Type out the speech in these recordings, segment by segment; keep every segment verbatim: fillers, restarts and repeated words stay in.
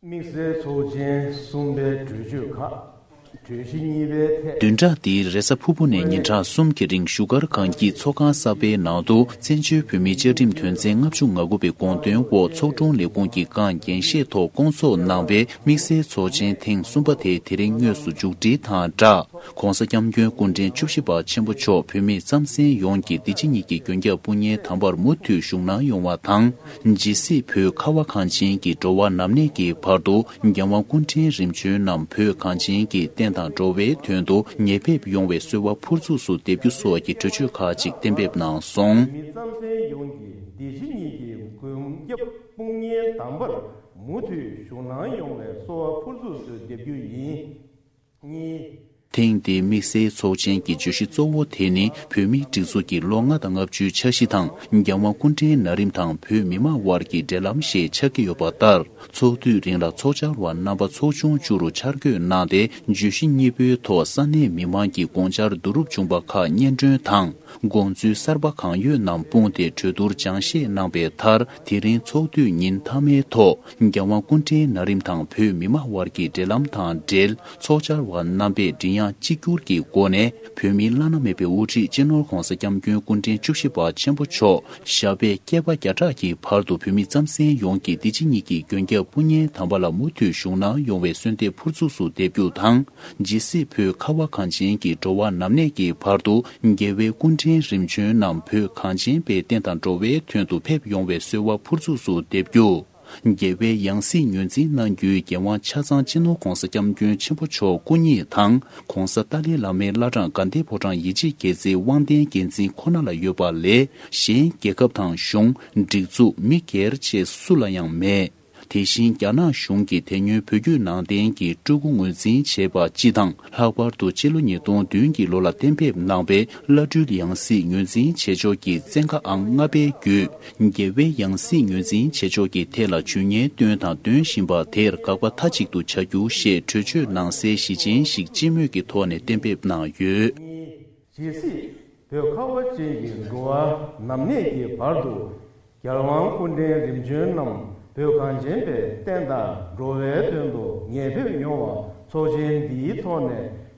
དམིགས་བསལ་ཚོགས་ཆེན་གསུམ་པའི་གྲོས་ཆོད་ཁག་གྲོས་གཞི་གཉིས་པའི་ཐད། བདུན་ཕྲག་འདིའི་རེས་གཟའ་ཕུར་བུ་ནས་ཉིན་གྲངས་གསུམ་གྱི་རིང་བཞུགས་སྒར་སྒང་སྐྱིད་ཚོགས་ཁང་གསར་པའི་ནང་དུ་བཙན་བྱོལ་བོད་མིའི་བཅའ་ཁྲིམས་དོན་ཚན་ལྔ་བཅུ་ང་དགུ་པའི་དགོངས་དོན་འོག་ཚོགས་དྲུང་ལས་ཁུངས་ཀྱི་སྒང་འགན་བཞེས་ཐོག་བསྐོང་ཚོགས་གནང་བའི་དམིགས་བསལ་ཚོགས་ཆེན་ཐེངས་གསུམ་པ་དེ་དེ་རིང་དངོས་སུ་མཇུག་སྒྲིལ་དང་སྦྲགས། ྋགོང་ས་ྋསྐྱབས་མགོན་སྐུ་ཕྲེང་བཅུ་བཞི་པ་ཆེན་པོ་མཆོག་བོད་མི་རྩམ་ཟན་ཡོངས་ཀྱི་འདི་ཕྱི་གཉིས་ཀྱི་མགོན་སྐྱབས་དཔུང་གཉེན་དམ་པར་མུ་མཐུད་བཞུགས་གནང་ཡོང་བ་དང་། ཇི་སྲིད་བོད་ཁ་བ་གངས་ཅན་གྱི་འགྲོ་བ་ནམ་གནས་ཀྱི་བར་དུ་རྒྱལ་དབང་སྐུ་ཕྲེང་རིམ་བྱོན་རྣམས་བོད་གངས་ཅན་གྱི་བསྟན་དང་འགྲོ་བའི་དོན་དུ་ཉེ་ཕེབས་ཡོང་བའི་གསོལ་བ་ཕུར་ཚུགས་སུ་འདེབས་རྒྱུ་སོགས་ཀྱི་གྲོས་ཆོད་ཁག་ཅིག་གཏན་འབེབས་གནང་སོང་། མི་རྩམ་ཟན་ཡོངས་ཀྱི་འདི་ཕྱི་གཉིས་ཀྱི་མགོན་སྐྱབས་དཔུང་གཉེན་དམ་པར་མུ་མཐུད་བཞུགས་གནང་ཡོང་བའི་གསོལ་བ་ཕུར་ཚུགས་སུ་འདེབས་རྒྱུ་ཡིན། གཉིས། ཐེངས་འདིའི་དམིགས་བསལ་ཚོགས་ཆེན་གྱི་བརྗོད་གཞི་གཙོ་བོ་དེ་ནི་བོད་མིའི་སྒྲིག་འཛུགས་ཀྱི་ལོ་ལྔ་དང་ལྔ་བཅུའི་འཆར་གཞི་དང་རྒྱལ་དབང་སྐུ་ཕྲེང་ན་རིམ་དང་བོད་མི་མང་དབར་གྱི་འབྲེལ་ལམ་ཞེས་ཆགས་ཀྱི་ཡོད་པ་ལྟར། ཚོགས་དུས་རིང་ལ་ཚོགས་བཅར་བ་རྣམ་པ་ཚོགས་ཆུང་བཅུ་རུ་ཆར་འགོད་གནང་སྟེ། བརྗོད་གཞི་གཉིས་པོའི་ཐོག་ས་གནས་མི་མང་གི་དགོངས་འཆར་བསྡུ་རུབ་བྱུང་བ་ཁག་སྙན་སྒྲོན་དང་། དགོངས་ཚུལ་གསར་པ་གང་ཡོད་རྣམས་སྤུངས་ཏེ་གྲོས་བསྡུར་སྦྱང་བཤད་གནང་པའི་མཐར། དེ་རིང་ཚོགས་དུས་ཉིན་མཐའ་མའི་ཐོག་རྒྱལ་དབང་སྐུ་ཕྲེང་ན་རིམ་དང་བོད་མི་མང་དབར་གྱི་འབྲེལ་ལམ་དང་འབྲེལ། ཚོགས་བཅར་བ་རྣམ་པས་མགྲིན་དབྱངས་གཅིག་གྱུར་གྱི་སྒོ་ནས། བོད་མིའི་བླ་ན་མེད་པའི་དབུ་ཁྲིད་སྤྱི་ནོར་༧གོང་ས་༧སྐྱབས་མགོན་སྐུ་ཕྲེང་བཅུ་བཞི་པ་ཆེན་པོ་མཆོག་ཞབས་པད་བསྐལ་པ་བརྒྱ་ཕྲག་གི་བར་དུ་བོད་མི་རྩམ་ཟན་ཡོངས་ཀྱི་འདི་ཕྱི་གཉིས་ཀྱི་མགོན་སྐྱབས་དཔུང་གཉེན་དམ་པ་ལ་མུ་མཐུད་བཞུགས་གནང་ཡོང་བའི་གསོལ་འདེབས་ཕུར་ཚུགས་སུ་འདེབས་རྒྱུ་དང་། ཇི་སྲིད་བོད་ཁ་བ་གངས་ཅན་གྱི་འགྲོ་བ་ནམ་གནས་ཀྱི་བར་དུ། རྒྱལ་བའི་སྐུ་ཕྲེང་རིམ་བྱོན་རྣམས་བོད་གངས་ཅན་པའི་བསྟན་དང་འགྲོ་བའི་དོན་དུ་ཕེབས་ཡོང་བའི་གསོལ་བ་ཕུར་ཚུགས་སུ་འདེབས་རྒྱུ། རྒྱལ་བའི་ཡང་སྲིད་ངོས་འཛིན་གནང་རྒྱུའི་རྒྱལ་དབང་ཆ་ཚང་སྤྱི་ནོར་༧གོང་ས་༧སྐྱབས་མགོན་ཆེན་པོ་མཆོག་སྐུ་ཉིད་དང་། ྋགོང་ས་ཏཱ་ལའི་བླ་མའི་བླ་བྲང་དགའ་ལྡན་ཕོ་བྲང་ཡིད་ཆེས་རྒྱལ་མཚན་དབང་ལྡན་རྒྱལ་མཚན་ཁོ་ན་ལ་ཡོད་པ་ལས། གཞན་རྒྱལ་ཁབ་དང་གཞུང་། སྒྲིག་འཛུགས། མི་སྒེར་བཅས་སུ་ལ་ཡང་མེད། དེ་བཞིན་རྒྱ་ནག་གཞུང་གིས་དེ་སྔོན་བོད་བརྒྱུད་ནང་བསྟན་གྱི་སྤྲུལ་སྐུ་ངོས་འཛིན་བྱས་པ་སྤྱི་དང་། ལྷག་པར་དུ་ཕྱི་ལོ་ཉིས་སྟོང་བདུན་གྱི་ལོ་ལ་གཏན་འབེབས་གནང་བའི་བླ་སྤྲུལ་ཡང་སྲིད་ངོས་འཛིན་བྱེད་ཕྱོགས་ཀྱི་བཙན་བཀའ་ཨང་ལྔ་པའི་བརྒྱུད། རྒྱལ་བའི་ཡང་སྲིད་ངོས་འཛིན་བྱེད་ཕྱོགས་ཀྱི་ཐད་ལ་ཇུས་ངན་བཏོན་དང་འདོན་བཞིན་པ་དེར་དགག་པ་མཐའ་གཅིག་ཏུ་བྱ་རྒྱུ་ཞེས་གྲོས་ཆོད་ནང་གསལ་ཞི་ཆེན་ཞིག་སྤྱི་མོས་ཀྱི་ཐོག་ནས་གཏན་འབེབས་གནང་ཡོད། ཇི་སྲིད་བོད་ཁ་བ་ཅན་གྱི་འགྲོ་བ་ནམ་གནས་ཀྱི་བར་དུ། རྒྱལ་དབང་སྐུ་ཕྲེང་རིམ་བྱོན་རྣམས་བོད་གངས་ཅན་པའི་བསྟན་དང་འགྲོ་བའི་དོན་དུ་ཉེ་ཕེབས་ཡོང་བ་ཚོགས་ཆེན་འདིའི་ཐོག་ནས་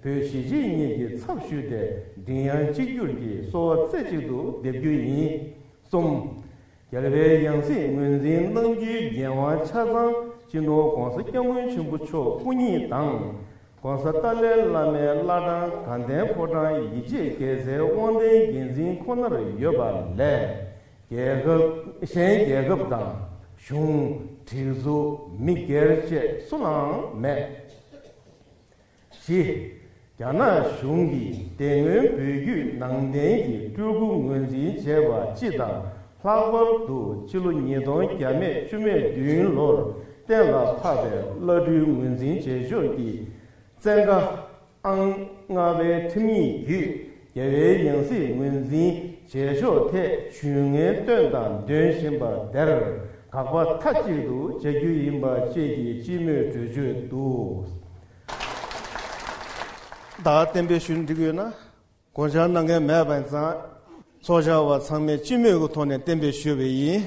བོད་གཞིས་བྱེས་གཉིས་ཀྱི་ཚབ་ཞུས་ཏེ་མགྲིན་དབྱངས་གཅིག་གྱུར་གྱིས་གསོལ་བ་རྩེ་གཅིག་ཏུ་འདེབས་རྒྱུ་ཡིན། གསུམ། རྒྱལ་བའི་ཡང་སྲིད་ངོས་འཛིན་གནང་རྒྱུའི་འགན་དབང་ཆ་ཚང་སྤྱི་ནོར་༧གོང་ས་༧སྐྱབས་མགོན་ཆེན་པོ་མཆོག་སྐུ་ཉིད་དང་། ྋགོང་ས་ཏཱ་ལའི་བླ་མའི་བླ་བྲང་དགའ་ལྡན་ཕོ་བྲང་ཡིད་ཆེས་རྒྱལ་མཚན་དབང་ལྡན་རྒྱལ་མཚན་ཁོ་ནར་ཡོད་པ་ལས། རྒྱལ་ཁབ། གཞན་རྒྱལ་ཁབ་དང་གཞུང་། སྒྲིག་འཛུགས། མི་སྒེར་བཅས་སུ་ལའང་མེད། བཞི། རྒྱ་ནག་གཞུང་གིས་དེ་སྔོན་བོད་བརྒྱུད་ནང་བསྟན་གྱི་སྤྲུལ་སྐུ་ངོས་འཛིན་བྱས་པ་སྤྱི་དང་། ལྷག་པར་དུ་ཕྱི་ལོ་ཉིས་སྟོང་བརྒྱ་མེད་བཅུ་མེད་བདུན་ལོར་གཏན་ལ་ཕབ་པའི་བླ་སྤྲུལ་ངོས་འཛིན་བྱེད་ཕྱོགས་ཀྱི་བཙན་བཀའ་ཨང་ལྔ་པའི་ཁྲིམས་ཡིག་བརྒྱུད་རྒྱལ་བའི་ཡང་སྲིད་ངོས་འཛིན་བྱེད་ཕྱོགས་ཐད་ཇུས་ངན་བཏོན་དང་འདོན་བཞིན་པ་དེར་དགག་པ་མཐའ་གཅིག་ཏུ་བྱ་རྒྱུ་ཡིན་པ་བཅས་ཀྱི་སྤྱི་མོས་གྲོས་ཆོད་འདུག་ད་གཏན་འབེབས་ཞུ་འགྲིག་ཡོད་ན། དགོངས་འཆར་གནང་མཁན་མེད་པ་ཡིན་ཙང་། ཚོགས་བཅར་བ་ཚང་མས་སྤྱི་མོས་ཀྱི་ཐོག་ནས་གཏན་འབེབས་ཞུས་པ་ཡིན།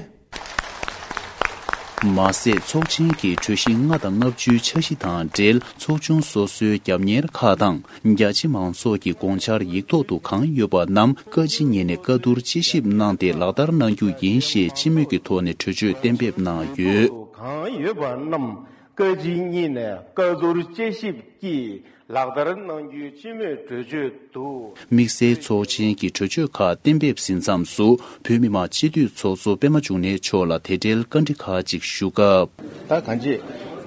མ་ཟད། ཚོགས་ཆེན་གྱི་གྲོས་གཞི་ལྔ་དང་ལྔ་བཅུའི་འཆར་གཞི་དང་འབྲེལ། ཚོགས་ཆུང་སོ་སོའི་རྒྱབ་གཉེར་ཁག་དང་། རྒྱ་ཆེ་མང་ཚོགས་ཀྱི་དགོངས་འཆར་ཡིག་ཐོག་ཏུ་གང་ཡོད་པ་རྣམས་བཀའ་སྤྱི་གཉིས་ནས་བཀའ་བསྡུར་དཔྱད་ཞིབ་གནང་སྟེ་ལག་བསྟར་གནང་རྒྱུ་ཡིན་ཞེས་སྤྱི་མོས་ཀྱི་ཐོག་ནས་གྲོས་ཆོད་གཏན་འབེབས་གནང་ཡོད། གང་ཡོད་པ་རྣམས་བཀའ་སྤྱི་གཉིས་ནས་བཀའ་བསྡུར་དཔྱད་ཞིབ་ཀྱིས་ལག་བསྟར་གནང་རྒྱུའི་སྤྱི་མོས་གྲོས་ཆོད་དུ། དམིགས་བསལ་ཚོགས་ཆེན་གྱི་གྲོས་ཆོད་ཁག་གཏན་འབེབས་ཟིན་མཚམས་སུ། བོད་མི་མང་སྤྱི་འཐུས་ཚོགས་གཙོ་པད་མ་འབྱུང་གནས་མཆོག་ལ་དེ་འབྲེལ་བཀའ་འདྲི་ཁག་ཅིག་ཞུ་སྐབས། ད་གང་ཅི།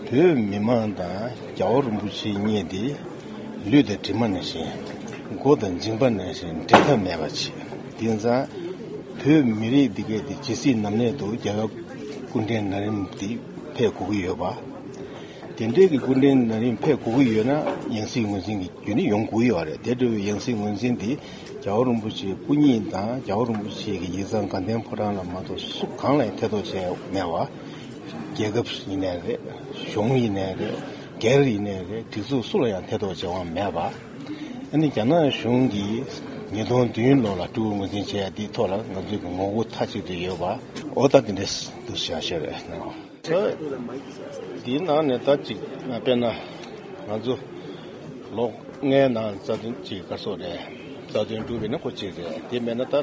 བོད་མི་མང་དང་རྒྱལ་བ་རིན་པོ་ཆེ་གཉིས་དེ་ལུས་དང་གྲིབ་མ་ནང་བཞིན། མགོ་དང་མཇིང་པ་ནང་བཞིན་འབྲལ་ཐབས་མེད་པ་བྱས། དེ་ཙང་། བོད་མི་རིགས་འདི་གས་དེ་ཇི་སྲིད་ནམ་གནས་དུ་རྒྱལ་བ་སྐུ་ཕྲེང་ན་རིམ་དེ་ཕེབས་དགོས་ཀྱི་ཡོད་པ། དེ་འདྲའི་གི་སྐུ་ཕྲེང་ན་རིམ་ཕེབས་དགོས་ཀྱི་ཡོད་ན་ཡང་སྲིད་ངོས་འཛིན་གྱི་རྒྱུ་ནི་ཡོང་དགོས་ཀྱི་ཡོད་རེད། དེ་འདྲ་བའི་ཡང་སྲིད་ངོས་འཛིན་དེ་རྒྱལ་བ་རིན་པོ་ཆེ་སྐུ་ཉིད་དང་རྒྱལ་བ་རིན་པོ་ཆེ་གི་ཡིག་ཚང་དགའ་ལྡན་ཕོ་བྲང་ལ་མ་གཏོགས་སུ་གང་ལ་ཡང་ཐེ་གཏོགས་བྱས་མེད་པ། རྒྱལ་ཁབ་ཡིན་ནའི་རེད། གཞུང་ཡིན་ནའི་རེད། སྒེར་ཡིན་ནའི་རེད། སྒྲིག་འཛུགས་སུ་ལ་ཡང་ཐེ་གཏོགས་བྱས་པ་མེད་པ། ཨ་ནི་རྒྱ་ནག་གཞུང་གིས་ཉིས་སྟོང་བདུན་ལོ་ལ་སྤྲུལ་སྐུ་ངོས་འཛིན་བྱས་ཡ་དེའི་ཐོག་ལ་ང་ཚོའི་གི་ངོ་རྒོལ་མཐའ་གཅིག་ཏུ་ཡོད་པ། འོ་ད་དེ་འདྲས་འདུག་བྱ་ཤེས་རེད་ནའོ། ད་འདིའི་ནང་ནས་ད་ཅིག་དཔེར་ན་ང་ཚོ་ལོ་ལྔའི་ནང་རྩ་དོན་ཅིག་ག་སོགས་རེད། རྩ་དོན་སྒྲུབ་པའི་ནི་ཁོ་གཅིག་རེད། དེ་མེད་ན་ད་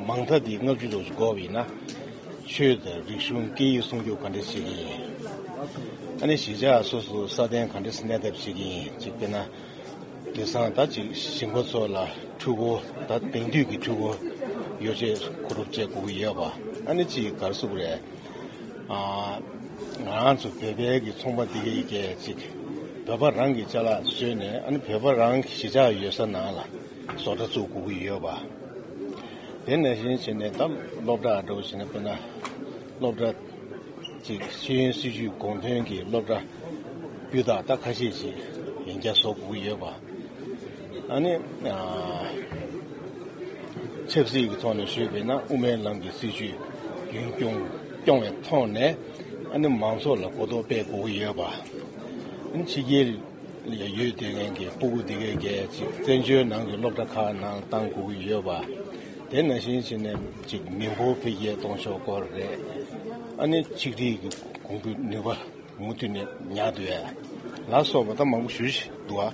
མང་མཐའ་འདི་ལྔ་བཅུ་ཙམ་ཞིག་འགོར་བ་ཡིན་ན། ཆོས་དང་རིག་གཞུང་སྐད་ཡིག་སྲུང་སྐྱོབ་ག་འདྲ་བྱེད་ཀྱི་ཡིན། ཨ་ནི་གཞིས་ཆགས་སོ་སོ་སྲ་བརྟན་ག་འདྲ་གནས་ཐབས་བྱེད་ཀྱི་ཡིན། ཅིག་དཔེར་ན། དེང་སང་ད་ཅིག་ཞིང་པ་ཚོ་ལ་འཕྲུལ་འཁོར་ད་དེང་དུས་ཀྱི་འཕྲུལ་འཁོར་ཡོ་བྱད་མཁོ་སྒྲུབ་བྱེད་དགོས་ཀྱི་ཡོད་པ། ཨ་ནི་ཅིག་ག་རེ་ཟེར་དགོས་རེད། ཨ། ང་རང་ཚོ་བོད་པའི་གི་ཚོང་པ་འདི་གའི་གི་ཅིག་བོད་པ་རང་གི་ཅ་ལག་བཟོས་ནས། ཨ་ནི་བོད་པ་རང་གི་གཞིས་ཆགས་ཡོད་ས་ནང་ལ་བཟོ་གྲྭ་བཙུགས་དགོས་ཀྱི་ཡོད་པ། དེ་ནང་བཞིན་བྱས་ནས་ད་སློབ་གྲྭ་འདྲ་བོ་བྱས་ན། དཔེར་ན་སློབ་གྲྭ་ཅིག་ཤེས་ཡོན་སྲིད་བྱུས་དགོངས་དོན་གྱི་སློབ་གྲྭ་སྤུས་དག་ད་ཁ་ཤས་ཅིག་ཡང་བསྐྱར་བཟོ་དགོས་ཀྱི་ཡོད་པ། ཨ་ནི། ཨ། ཆབ་སྲིད་ཀྱི་ཐོག་ནས་ཞུས་པས་ན། དབུ་མའི་ལམ་གྱི་སྲིད་བྱུས་རྒྱུན་སྐྱོང་སྐྱོང་བའི་ཐོག་ནས། ཨ་ནི་མང་ཚོགས་ལ་གོ་རྟོགས་སྤེལ་དགོས་ཀྱི་ཡོད་པ། ཨ་ནི་ཕྱི་རྒྱལ་ལ་ཡོད་བསྡད་མཁན་གྱི་སྤུ་གུ་འདི་གའི་གལ་ཆེ་བཙན་བྱོལ་ནང་གི་སློབ་གྲྭ་ཁག་ནང་བཏང་དགོས་ཀྱི་ཡོད་པ། དེ་ནང་བཞིན་བྱས་ནས་ཅིག་མི་འབོར་འཕེལ་རྒྱས་གཏོང་ཕྱོགས་སྐོར་རེད། ཨ་ནི་ཆིག་སྒྲིལ་གྱི་གོང་བུ་ནུས་པ་མུ་མཐུད་ནས་ཉར་འདུག་ཡ་ལ་སོགས་པ་ད་མང་པོ་ཞེ་པོ་ཅིག་འདུག་ཨ།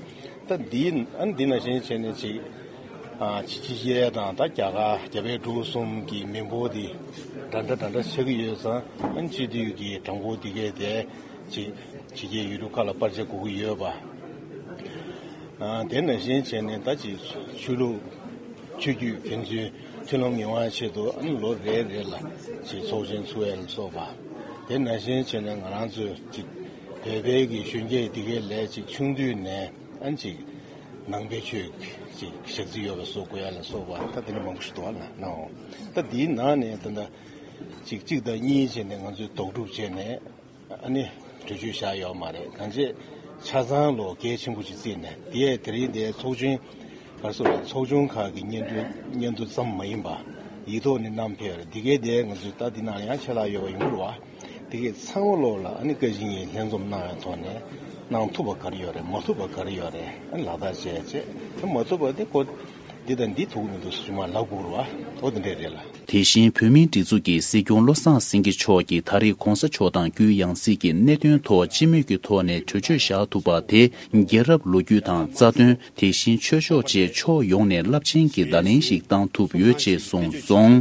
ད་འདི་ཨ་ནི་འདི་ནང་བཞིན་བྱས་ནས་ཅིག་ཨ། ཕྱི་རྒྱལ་དང་ད་རྒྱ་གར་རྒྱ་བལ་འབྲུག་གསུམ་གྱི་མི་འབོར་འདི་འདྲ་འདྲ་འདྲ་འདྲ་ཆགས་ཀྱི་ཡོད་ཙང་། ཨ་ནི་སྤྱི་འཐུས་ཀྱི་གྲངས་འབོར་འདི་གའི་དེ་ཅིག་ཕྱི་རྒྱལ་ཡུལ་གྲུ་ཁག་ལ་སྤར་ཆ་དགོས་ཀྱི་ཡོད་པ། ཨ། དེ་ནང་བཞིན་བྱས་ནས་ད་ཅིག་ཆོས་ལུགས་ཆོས་བརྒྱུད་ཕན་ཚུན་མཐུན་ལམ་ཡོང་བའི་ཆེད་དུ། ཨ་ནི་ལོ་རེ་རེ་ལ་ཅིག་ཚོགས་ཆེན་ཚུགས་ཡ་ལ་སོགས་པ། དེ་ནང་བཞིན་བྱས་ནས་ང་རང་ཚོས་ཅིག་བོད་པའི་གི་གཞོན་སྐྱེས་འདི་གའི་ལས་ཅིག་ཆུང་དུས་ནས། ཨ་ནི་ཅིག་ནང་པའི་ཆོས་ཅིག་ཞག་རྩི་ཡོད་པ་བཟོ་དགོས་ཡ་ལ་སོགས་པ། ད་དེ་འདྲ་མང་པོ་ཞིག་འདུག་ཨ། ན་ནའོ། ད་འདིའི་ནང་ནས་ད་ལྟ་ཅིག་གཅིག་དང་གཉིས་བྱས་ནས་ང་ཚོས་ལྡོག་སྒྲུབ་བྱས་ནས། ཨ་ནི་གྲོས་ཆོད་བཞག་ཡོད་མ་རེད། གང་བྱས་ཆ་ཚང་ལོ་གལ་ཆེན་པོ་ཅིག་བརྩིས་ནས། དེ་ཡས་དེ་རིང་དེ་ཚོགས་ཆུང་ག་རེ་ཟེར་དགོས་རེད། ཚོགས་ཆུང་ཁག་གི་སྙན་ཐོ་སྙན་ཐོ་ཙམ་མ་ཡིན་པ་ཡིག་ཐོག་ནས་བསྣམས་ཕེབས་རེད། དེ་གའི་དེ་ང་ཚོས་ད་འདི་ནང་ཡང་ཆད་ལྷག་ཡོད་པ་ཡོང་གི་རེད་བ། དེ་གའི་ཚང་མ་ལོག་ལ་ཨ་ནི་བཀའ་བཞིན་གྱི་ལྷན་འཛོམས་གནང་བའི་ཐོག་ནས་གནང་ཐུབ་པ་ག་རེ་ཡོད་རེད། མ་ཐུབ་པ་ག་རེ་ཡོད་རེད། ཨ་ནི་ལག་བསྟར་བྱས་བྱས། དེ་མ་ཐུབ་པ་དེ་ཁོ་འདི་དང་འདི་ཐུག་མི་འདུག་ཟེར་མར་ལབ་དགོས་རེད་བ། འོ་དེ་འདྲས་རེད་ལ། དེ་བཞིན་བོད་མིའི་སྒྲིག་འཛུགས་ཀྱི་སྲིད་སྐྱོང་བློ་བཟང་སེང་གེ་མཆོག་གིས་ད་རེས་གོང་ས་མཆོག་དང་རྒྱུ་ཡང་སྲིད་ཀྱི་གནད་དོན་ཐོག་སྤྱི་མོས་ཀྱི་ཐོག་ནས་གྲོས་ཆོད་བཞག་ཐུབ་པ་དེ། རྒྱལ་རབས་ལོ་རྒྱུས་དང་རྩ་དོན། དེ་བཞིན་ཆོས་ཕྱོགས་བཅས་ཕྱོགས་ཡོངས་ནས་རླབས་ཆེན་གྱི་བརྡ་ལན་ཞིག་བཏང་ཐུབ་ཡོད་ཅེས་གསུངས་སོང་།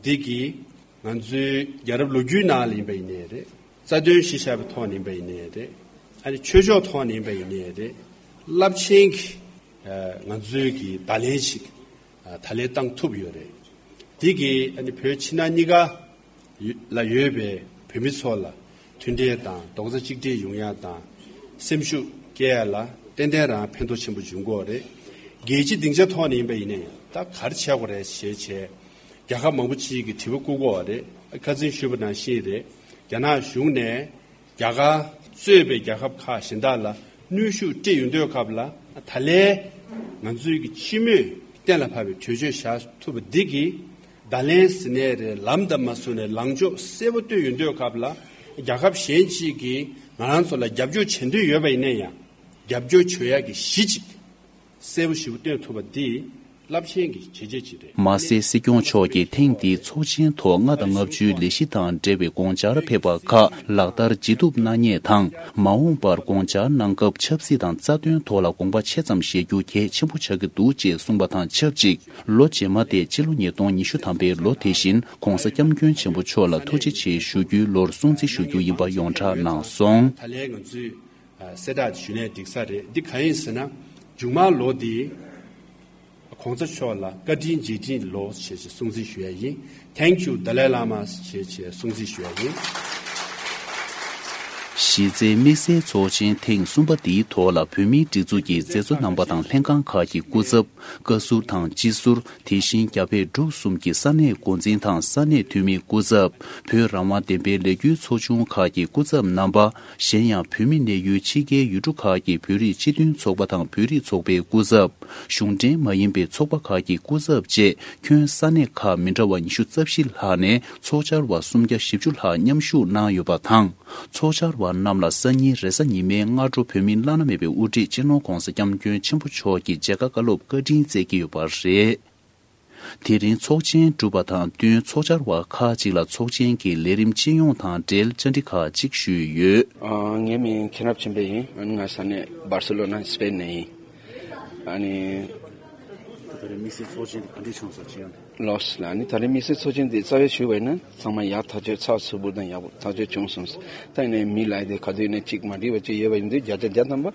འདི་གིས་ང་ཚོའི་རྒྱལ་རབས་ལོ་རྒྱུས་ནང་ལ་ཡིན་པ་ཡིན་ནའི་རེད། རྩ་དོན་གཞི་བཞག་པའི་ཐོག་ནས་ཡིན་པ་ཡིན་ནའི་རེད། ཨ་ནི་ཆོས་ཕྱོགས་ཐོག་ནས་ཡིན་པ་ཡིན་ནའི་རེད། རླབས་ཆེན་གྱི་ང་ཚོའི་གི་བརྡ་ལན་ཞིག་ད་ལན་བཏང་ཐུབ་ཡོད་རེད། དེ་གིས་ཨ་ནི་བོད་ཕྱི་ནང་གཉིས་ཀ་ལ་ཡོད་པའི་བོད་མི་ཚོ་ལ་མཐུན་འབྲེལ་དང་རྡོག་རྩ་གཅིག་སྒྲིལ་ཡོང་ཡ་དང་། སེམས་ཤུགས་སྐྱེ་ཡ་ལ་ཏན་ཏན་རང་ཕན་ཐོགས་ཆེན་པོ་འབྱུང་གི་ཡོད་རེད། རྒྱལ་སྤྱི་སྡིངས་ཆ་ཐོག་ནས་ཡིན་པ་ཡིན་ནའི་ད་ག་རེ་བྱེད་དགོས་རེད་ཞེས་བྱས། རྒྱལ་ཁབ་མང་པོ་ཅིག་གིས་དྲི་བ་བཀོད་ཀྱི་ཡོད་རེད། ཁ་སང་ཞུས་པ་ནང་བཞིན་རེད། རྒྱ་ནག་གཞུང་ནས་རྒྱ་གར་གཙོས་པའི་རྒྱལ་ཁབ་ཁག་གཞན་དག་ལ་གནོན་ཤུགས་སྤྲད་ཡོང་དུས་སྐབས་ལ། ད་ལན་ང་ཚོའི་གི་སྤྱི་མོས་གཏན་ལ་ཕབ་པའི་གྲོས་ཆོད་བཞག་ཐུབ་པ་འདི་གིས། བརྡ་ལན་ཟེར་ནའི་རེད། ལམ་དང་མ་བཟོ་ནའི་ལངས་ཕྱོགས་གསལ་པོ་སྟོན་ཡོང་དུས་སྐབས་ལ། རྒྱལ་ཁབ་གཞན་ཅིག་གིས་ང་རང་ཚོ་ལ་རྒྱབ་སྐྱོར་བྱེད་འདོད་ཡོད་པ་ཡིན་ན་ཡང་། རྒྱབ་སྐྱོར་བྱེད་ཡག་གི་གཞི་ཅིག་གསལ་པོ་ཞེ་པོ་སྟོན་ཐུབ་པ་འདི་རླབས་ཆེན་གྱི་བྱས་རྗེས་ཅིག་རེད། མ་ཟད་སྲིད་སྐྱོང་མཆོག་གིས་ཐེངས་འདིའི་ཚོགས་ཆེན་ཐོག་ལྔ་དང་ལྔ་བཅུའི་ལས་གཞི་དང་འབྲེལ་བའི་དགོངས་འཆར་ཕེབས་པ་ཁག་ལག་བསྟར་ཇི་ཐུབ་གནང་མཁན་དང་། མ་འོངས་པར་དགོངས་འཆར་གནང་སྐབས་ཆབ་སྲིད་དང་རྩ་དོན་ཐོག་ལ་དགོངས་པ་ཆེ་ཙམ་བཞེས་རྒྱུ་གལ་ཆེན་པོ་ཆགས་ཀྱི་འདུག་ཅེས་གསུངས་པ་དང་ཆབས་ཅིག། ལོ་རྗེས་མ་སྟེ་སྤྱི་ལོ་ཉིས་སྟོང་ཉི་ཤུ་ཐམ་པའི་ལོ་དེ་བཞིན་༧གོང་ས་༧སྐྱབས་མགོན་ཆེན་པོ་མཆོག་ལ་ཐུགས་རྗེ་ཆེ་ཞུ་རྒྱུའི་ལོར་སྲུང་བརྩི་ཞུ་རྒྱུ་ཡིན་པ་ཡོངས་གྲགས་གནང་སོང་། ད་ལན་ང་ཚོས་གསལ་བསྒྲགས་ཞུས་ནའི་འགྲིག་ས་རེད། འདི་གང་ཡིན་ཟེར་ན། མཇུག་མ་ལོ་འདི་༧གོང་ས་མཆོག་ལ་བཀའ་དྲིན་རྗེས་དྲིན་ལོ་ཞེས་བྱས་སྲུང་བརྩི་ཞུ་ཡ་ཡིན། Thank you Dalai Lama ཞེས་བྱས་སྲུང་བརྩི་ཞུ་ཡ་ཡིན། གཞི་རྩའི་དམིགས་བསལ་ཚོགས་ཆེན་ཐེངས་གསུམ་པ་འདིའི་ཐོག་ལ་བོད་མིའི་སྒྲིག་འཛུགས་ཀྱི་མཛད་གཙོ་རྣམ་པ་དང་ལྷན་ཁང་ཁག་གི་སྐུ་ཚབ། བཀའ་ཟུར་དང་སྤྱི་ཟུར། དེ་བཞིན་རྒྱ་བལ་འབྲུག་གསུམ་གྱི་ས་གནས་འགོ་འཛིན་དང་ས་གནས་འཐུས་མི་སྐུ་ཚབ། བོད་རང་དབང་བདེན་པའི་ལས་འགུལ་ཚོགས་ཆུང་ཁག་གི་སྐུ་ཚབ་རྣམ་པ། གཞན་ཡང་བོད་མི་གནས་ཡུལ་ཕྱི་རྒྱལ་ཡུལ་གྲུ་ཁག་གི་བོད་རིགས་སྤྱི་མཐུན་ཚོགས་པ་དང་བོད་རིགས་ཚོགས་པའི་སྐུ་ཚབ། གཞུང་འབྲེལ་མ་ཡིན་པའི་ཚོགས་པ་ཁག་གི་སྐུ་ཚབ་བཅས་ཁྱོན་ས་གནས་ཁག་མི་འདྲ་བ་ཉི་ཤུ་རྩ་བཞི་ལྷག་ནས་ཚོགས་བཅར་བ་སུམ་བརྒྱ་བཞི་བཅུ་ལྷག་མཉམ་ཞུགས་གནང་ཡོད་པ་དང་། ཚོགས་བཅར་བ་རྣམས་ལ་སང་ཉིན་རེས་གཟའ་ཉི་མའི་སྔ་དྲོ་བོད་མིའི་བླ་ན་མེད་པའི་དབུ་ཁྲིད་སྤྱི་ནོར་༧གོང་ས་༧སྐྱབས་མགོན་ཆེན་པོ་མཆོག་གིས་མཇལ་ཁ་བཀའ་སློབ་བཀའ་དྲིན་སྩལ་གྱི་ཡོད་པ་རེད། དེ་རིང་ཚོགས་ཆེན་གྲུབ་པ་དང་བསྟུན་ཚོགས་བཅར་བ་ཁག་ཅིག་ལ་ཚོགས་ཆེན་གྱི་ལས་རིམ་སྤྱི་ཡོངས་དང་འབྲེལ་བཅར་འདྲི་ཁག་ཅིག་ཞུས་ཡོད། ཨ། ངའི་མིང་མཁྱེན་རབ་ཆོས་འཕེལ་ཡིན། ཨ་ནི་ང་ས་གནས་སྦར་སེ་ལོ་ན་སི་པེན་ནས་ཡིན། ཨ་ནི། ད་རེས་དམིགས་བསལ་ཚོགས་ཆེན་དེ་ག་འདྲས་བྱུང་སོང་སྤྱི་ཡོངས། ལགས་སོ་ལགས། ཨ་ནི་ད་རེས་དམིགས་བསལ་ཚོགས་ཆེན་དེ་རྩ་བའི་ཞུས་པ་ཡིན་ན་ཚང་མ་ཡག་ཐག་ཆོད་ཚགས་ཚུད་པོ་དང་ཡག་པོ་ཐག་ཆོད་བྱུང་སོང་། ད་ཡིན་ནའི་མི་ལ་དེ་ག་དུས་ནས་གཅིག་མ་འགྲིག་པ་གཅིག་ཡོད་པ་ཡིན་དུས་བརྒྱ་ཆ་བརྒྱ་ཐམ་པ་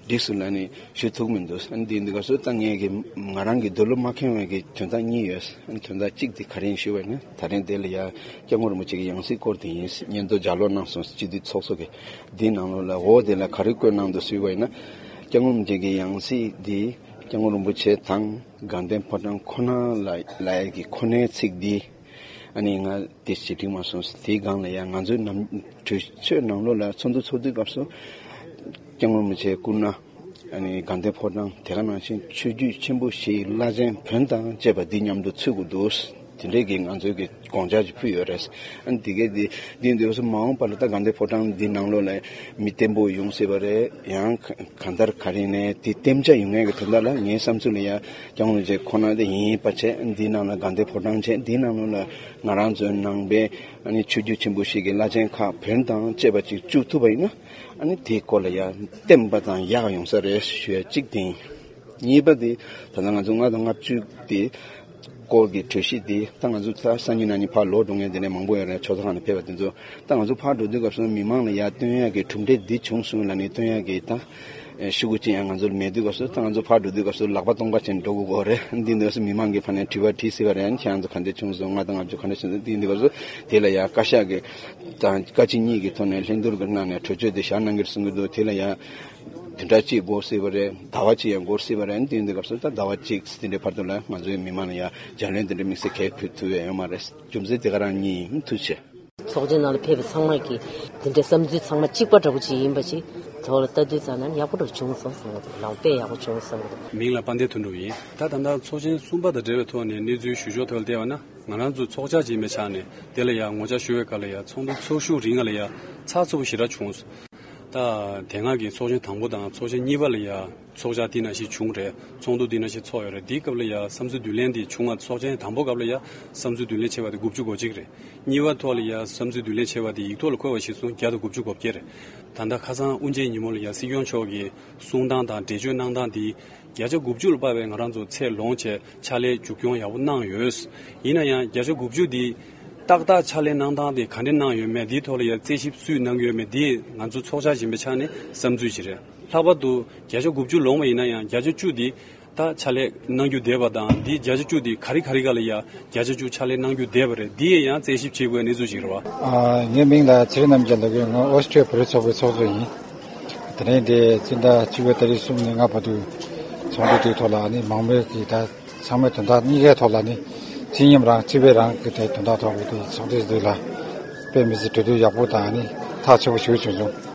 འགྲིག་སོང་ལབ་ནས་ཞུ་ཐུབ་མི་འདུག། ཨ་ནི་དེ་ཡིན་དུས་སྐབས་སུ་ད་ངས་ཀྱི་ང་རང་གི་འདོད་བློ་མ་ཁེངས་པའི་གི་དོན་དག་གཉིས་ཡོད། ཨ་ནི་དོན་དག་གཅིག་དེ་ག་རེ་ཡིན་ཞུས་པ་ཡིན་ན་ད་རིང་དེ་ལ་ཡ་སྐྱབས་མགོན་རིན་པོ་ཆེ་གི་ཡང་སྲིད་སྐོར་དེ་ཡིན། སྙན་ཐོ་ལྗགས་ཀློག་གནང་སོང་། སྤྱི་འཐུས་ཚོགས་གཙོ་གི་དེའི་ནང་ལོགས་ལ་འོ་དེ་ལ་ག་རེ་བཀོད་གནང་འདུག་ཞུས་པ་ཡིན་ན། སྐྱབས་མགོན་རིན་པོ་ཆེ་གི་ཡང་སྲིད་དེ་སྐྱབས་མགོན་རིན་པོ་ཆེ་དང་དགའ་ལྡན་ཕོ་བྲང་ཁོ་ན་ལ་ལ་ཡ་གི་ཁོ་ནའི་ཚིག་འདི། ཨ་ནི་ང་དེ་ཞེ་དྲིང་མ་སོང་། དེའི་སྒང་ལ་ཡང་ང་ཚོའི་ནམ་གྲོས་ཆོད་ནང་ལོགས་ལ་ཚོགས་འདུ་ཚོགས་དུས་སྐབས་སུ་སྐྱབས་མགོན་རིན་པོ་ཆེ་སྐུ་ན། ཨ་ནི་དགའ་ལྡན་ཕོ་བྲང་དེ་ག་ནང་བཞིན་ཆོས་བརྒྱུད་ཆེན་པོ་བཞིའི་བླ་ཆེན་བོན་དང་བཅས་པ་འདི་མཉམ་དུ་ཚུད་དགོས་འདུག། དེ་འདྲའི་གི་ང་ཚོའི་གི་དགོངས་འཆར་ཅིག་ཕུལ་ཡོད་རེད། ཨ་ནི་དེ་གའི་དེ་འདི་འདི་ཚོ་མ་འོངས་པ་ལ་ད་དགའ་ལྡན་ཕོ་བྲང་འདི་ནང་ལོགས་ལ་མི་བརྟན་པོ་ཡོང་སྲིད་པ་རེད། ཡང་གང་ལྟར་ག་རེ་ནས་དེ་བརྟན་ཆ་ཡོང་ཡས་གི་དོན་དག་ལ་ངའི་བསམ་ཚུལ་ལ་ཡ་སྐྱབས་མགོན་རིན་པོ་ཆེ་ཁོ་ན་དེ་ཡིན་པ་བྱས། འདི་ནང་ལ་དགའ་ལྡན་ཕོ་བྲང་བྱས། འདི་ནང་ལོགས་ལ་ང་རང་ཚོའི་ནང་པའི་ཨ་ནི་ཆོས་བརྒྱུད་ཆེན་པོ་བཞི་གི་བླ་ཆེན་ཁག་བོན་དང་བཅས་པ་ཅིག་བཅུག་ཐུབ་པ་ཡིན་ན། ཨ་ནི་དེའི་སྐོར་ལ་ཡང་བརྟན་པ་དང་ཡག་ཡོང་ས་རེད་ཞུ་ཡ་གཅིག་དེ་ཡིན། གཉིས་པ་དེ་ད་ལྟ་ང་ཚོ་ལྔ་དང་ལྔ་བཅུ་དེ་སྐོར་གྱི་གྲོས་གཞི་དེ་ད་ང་ཚོ་ད་སང་ཉིན་གནངས་ཉིན་ཕར་ལོག་འགྲོ་མཁན་དེ་འདྲ་མང་པོ་ཡོད་རེད། ཆོས་ཚོགས་ཁག་ནས་ཕེབས་པ་དེ་ཚོ་ད་ང་ཚོ་ཕར་འགྲོ་དུས་སྐབས་སུ་མི་མང་ལ་ཡར་སྟོན་ཡག་གི་གྲུབ་འབྲས་འདི་བྱུང་སོང་ལབ་ནས་སྟོན་ཡག་གི་ད་ཤུ་གུ་ཅིག་ཡང་ང་ཚོ་ལ་མེད་དུས་སྐབས་སུ་ད་ང་ཚོ་ཕར་འགྲོ་དུས་སྐབས་སུ་ལག་པ་སྟོང་པ་བྱས་ནས་འགྲོ་དགོས་ཀྱི་རེད། འདི་འདྲ་སོང་མི་མང་གི་ཕར་ནས་དྲི་བ་དྲིས་སྲིད་པ་རེད། ཁྱེད་རང་ཚོ་ག་འདྲ་བྱུང་སོང་། ལྔ་དང་ལྔ་བཅུ་ག་འདྲ་བྱུང་སོང་། འདི་འདི་སྐབས་སུ་དེ་ལ་ཡང་བཀའ་ཤག་གི་དང་བཀའ་སྤྱི་གཉིས་ཀྱི་ཐོག་ནས་ལྷན་བསྡུར་གྱི་ནང་ནས་གྲོས་ཆོད་དེ་བཞག་གནང་གི་རེད་གསུང་གི་འདུག། དེ་ལ་ཡང་བདུན་ཕྲག་གཅིག་འགོར་སྲིད་པ་རེད། ཟླ་བ་གཅིག་ཡང་འགོར་སྲིད་པ་རེད། དེ་འདི་སྐབས་སུ་ད་ཟླ་བ་གཅིག་དེ་འདྲའི་བར་དུ་ལ་ང་ཚོའི་མི་མང་ལ་ཡང་རྒྱ་ལན་དེ་འདྲའི་དམིགས་བསལ་གལ་ཕུལ་ཐུབ་ཡ་ཡོད་མ་རེད། རྒྱུ་མཚན་དེ་ག་རང་གཉིས་ཡིན། ཐུགས་རྗེ་ཆེ། ཚོགས་ཆེན་ནང་ལ་ཕེབས་པའི་ཚང་མ་གིས་དེ་འདྲའི་བསམ་ཚུལ་ཚང་མ་གཅིག་པ་འདྲ་པོ་ཅིག་ཡིན་པ་ཅིག་ཐོག་ལ་ལྟ་དུས་ཙམ་ན་ཡག་པོ་འདྲ་བྱུང་སོང་བསམ་གྱི་འདུག། ལམ་དཔེ་ཡག་པོ་བྱུང་སོང་བསམ་གྱི་འདུག། མིང་ལ་དཔལ་ལྡན་དོན་གྲུབ་ཡིན། ད་ད་ལྟ་ཚོགས་ཆེན་གསུམ་པ་དང་འབྲེལ་བའི་ཐོག་ནས་གནས་ཚུལ་ཞུ་ཕྱོགས་ཐོག་ལ་བལྟས་པ་ན། ང་རང་ཚོ་ཚོགས་བཅར་བྱེད་མི་ཆགས་ནས་དེ་ལ་ཡང་ངོ་བཅར་ཞུ་བའི་སྐབས་ལ་ཡང་ཚོགས་འདུ་ཚོགས་ཤུགས་རིང་ང་ལ་ཡང་ཚགས་ཚུད་པོ་ཞེ་དྲག་བྱུང་། ད་དེ་སྔ་གི་ཚོགས་ཆེན་དང་པོ་དང་ཚོགས་ཆེན་གཉིས་པ་ལ་ཡང་ཚོགས་བཅར་དེ་ནང་བཞིན་བྱུང་རེད། ཚོགས་འདུ་དེ་ནང་བཞིན་ཚོགས་ཡོད་རེད། དེའི་སྐབས་ལ་ཡང་བསམ་ཚུལ་བསྡུ་ལེན་དེ་བྱུང་བ། ཚོགས་ཆེན་དང་པོ་སྐབས་ལ་ཡང་བསམ་ཚུལ་བསྡུ་ལེན་བྱས་པ་དེ་དགུ་བཅུ་གོ་གཅིག་རེད། གཉིས་པ་ཐོག་ལ་ཡང་བསམ་ཚུལ་བསྡུ་ལེན་བྱས་པ་དེ་ཡིག་ཐོག་ལ་འཁོད་པ་གཞིར་བཟུང་བརྒྱ་དང་དགུ་བཅུ་གོ་བརྒྱད་རེད། ད་ལྟ་ཁ་སང་དབུ་འབྱེད་ཉིན་མོ་ལ་ཡང་སྲིད་སྐྱོང་མཆོག་གིས་གསུང་སྟངས་དང་འགྲེལ་བརྗོད་གནང་སྟངས་དེ་བརྒྱ་ཆ་དགུ་བཅུ་ལ་དཔག་པའི་ང་རང་ཚོ་ཚད་ལོངས་བྱས་ཕྱག་ལས་མཇུག་སྐྱོང་ཡག་པོ་གནང་ཡོད། ཡིན་ན་ཡང་བརྒྱ་ཆ་དགུ་བཅུ་འདི་ཏག་ཏག་ཕྱག་ལས་གནང་སྟངས་དེ་ག་འདྲ་གནང་ཡོད་མེད་འདིའི་ཐོག་ལ་ཡང་རྩད་ཞིབ་སུས་གནང་གི་ཡོད་མེད་འདི་ང་ཚོ་ཚོགས་བཅར་ཡིན་པའི་ཆ་ནས་བསམ་ཚུལ་ཞིག་རེད། ལྷག་པར་དུ་བརྒྱ་ཆ་དགུ་བཅུ་ལོངས་པ་ཡིན་ན་ཡང་བརྒྱ་ཆ་བཅུ་འདི་ད་ཕྱག་ལས་གནང་རྒྱུ་བསྡད་པ་དང་འདི་བརྒྱ་ཆ་བཅུ་འདི་ག་རེ་ག་རེ་ག་ལ་ཡང་བརྒྱ་ཆ་བཅུ་ཕྱག་ལས་གནང་རྒྱུ་བསྡད་པ་རེད། འདི་ཡང་རྩད་ཞིབ་བྱེད་དགོས་གནས་ཚུལ་ཞིག་རེད་བ། ཨ། ངའི་མིང་ལ་ཚེ་རིང་རྣམ་རྒྱལ་ལགས་ཡིན། ང་ཨོ་སི་ཁྲི་བོད་རིགས་ཚོགས་པའི་ཚོགས་གཙོ་ཡིན། དེ་རིང་འདི་སྤྱི་ཟླ་བཅུ་པའི་ཏ་རིག་གསུམ་ནས་ལྔ་བར་དུ་ཚོགས་འདུ་དེའི་ཐོག་ལ་ནི་མང་མོས་ཀྱིས་ད་ཚང་མའི་དོན་དག་གཉིས་ཀའི་ཐོག་ལ་ནི་སྤྱི་མཉམ་རང་སྤྱི་པའི་རང་གི་དེ་དོན་དག་ཐོག་གི་དེ་ཚོགས་འདུ་འདི་ལ་དཔེ་མི་སྲིད་གྲོས་བསྡུར་ཡག་པོ་དང་ནི་ཐག་ཆོད་པོ་ཞིག་བྱུང་བྱུང་།